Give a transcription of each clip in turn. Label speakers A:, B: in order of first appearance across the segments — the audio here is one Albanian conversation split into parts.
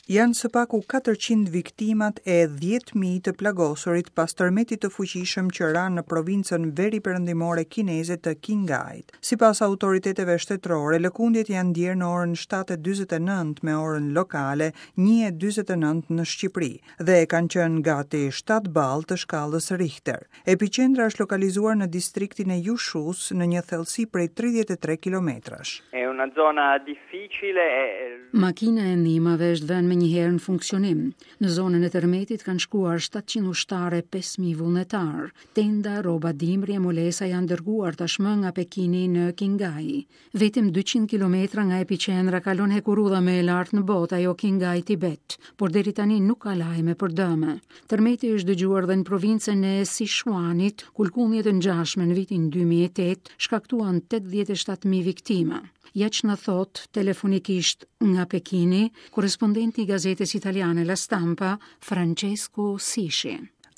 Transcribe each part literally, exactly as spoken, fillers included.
A: Janë së paku katërqind viktimat e dhjetë mijë të plagosurit pas tërmetit të fuqishëm që ra në provincën veriperëndimore kineze të Qinghait. Sipas autoriteteve shtetërore, lëkundjet janë ndjerë në orën shtatë e dyzet e nëntë me orën lokale një e dyzet e nëntë në Shqipëri dhe kanë qenë gati shtatë ballë të shkallës Richter. Epiqendra është lokalizuar në distriktin e Yushus në një thellësi prej tridhjetë e tre kilometrash.
B: È una zona difficile e
C: Makina e ndihmave është vënë menjëherë në funksionim. Në zonën e tërmetit kanë shkuar shtatëqind ushtarë e pesë mijë vullnetar. Tenda, rroba dimri e molesa janë dërguar tashmë nga Pekini në Qinghai. Vetëm dyqind kilometra nga epiqendra kalon hekurudha më e lartë në botë, ajo Qinghai Tibet, por deri tani nuk ka lajme për dëme. Tërmeti është dëgjuar dhe në provincën e Sichuanit, ku lëkundjet e ngjashme në vitin dy mijë e tetë shkaktuan tetëdhjetë e shtatë mijë viktima. Ja që na thot telefonikisht nga Pekini, korrespondenti i gazetës italiane La Stampa, Francesco Sisci.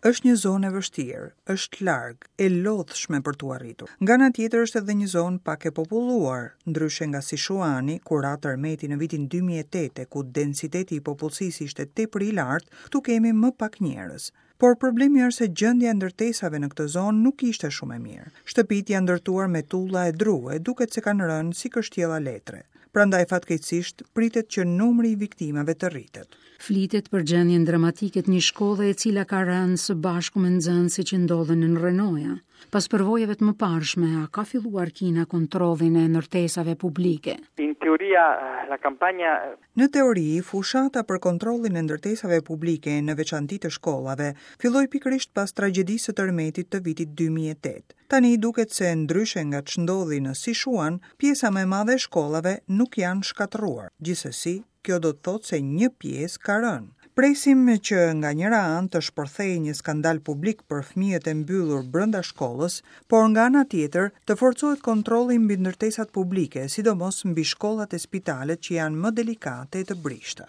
A: Është një zonë e vështirë, është larg, e lodhshme për t'u arritur. Nga ana tjetër është edhe një zonë pak e populluar, ndryshe nga Sichuani, ku ra tërmeti në vitin dy mijë e tetë, ku densiteti i popullsisë ishte tepër i lartë, këtu kemi më pak njerëz. Por problemi është se gjendja e ndërtesave në këtë zonë nuk ishte shumë e mirë. Shtëpitë janë ndërtuar me tulla e dru e duket se kanë rënë si kështjella letre. Prandaj fatkeqësisht pritet që numri i viktimave të rritet.
C: Flitet për gjendjen dramatike të një shkolle e cila ka rënë së bashku me nxënësit që ndodhen në rrënoja. Pas përvojave të mëparshme, a ka filluar Kina kontrollin e ndërtesave publike?
B: In teoria la campagna
A: Në teori, fushata për kontrollin e ndërtesave publike në veçanti të shkollave filloi pikërisht pas tragjedisë së tërmetit të vitit dy mijë e tetë. Tani duket se ndryshe nga ç'ndodhi në Sichuan, pjesa më e madhe e shkollave nuk janë shkatërruar. Gjithsesi, kjo do të thotë se një pjesë ka rënë. Presim që nga njëra anë të shpërthejë një skandal publik për fëmijët e mbyllur brenda shkollës, por nga ana tjetër të forcohet kontrolli mbi ndërtesat publike, sidomos mbi shkollat e spitalet që janë më delikate e të brishta.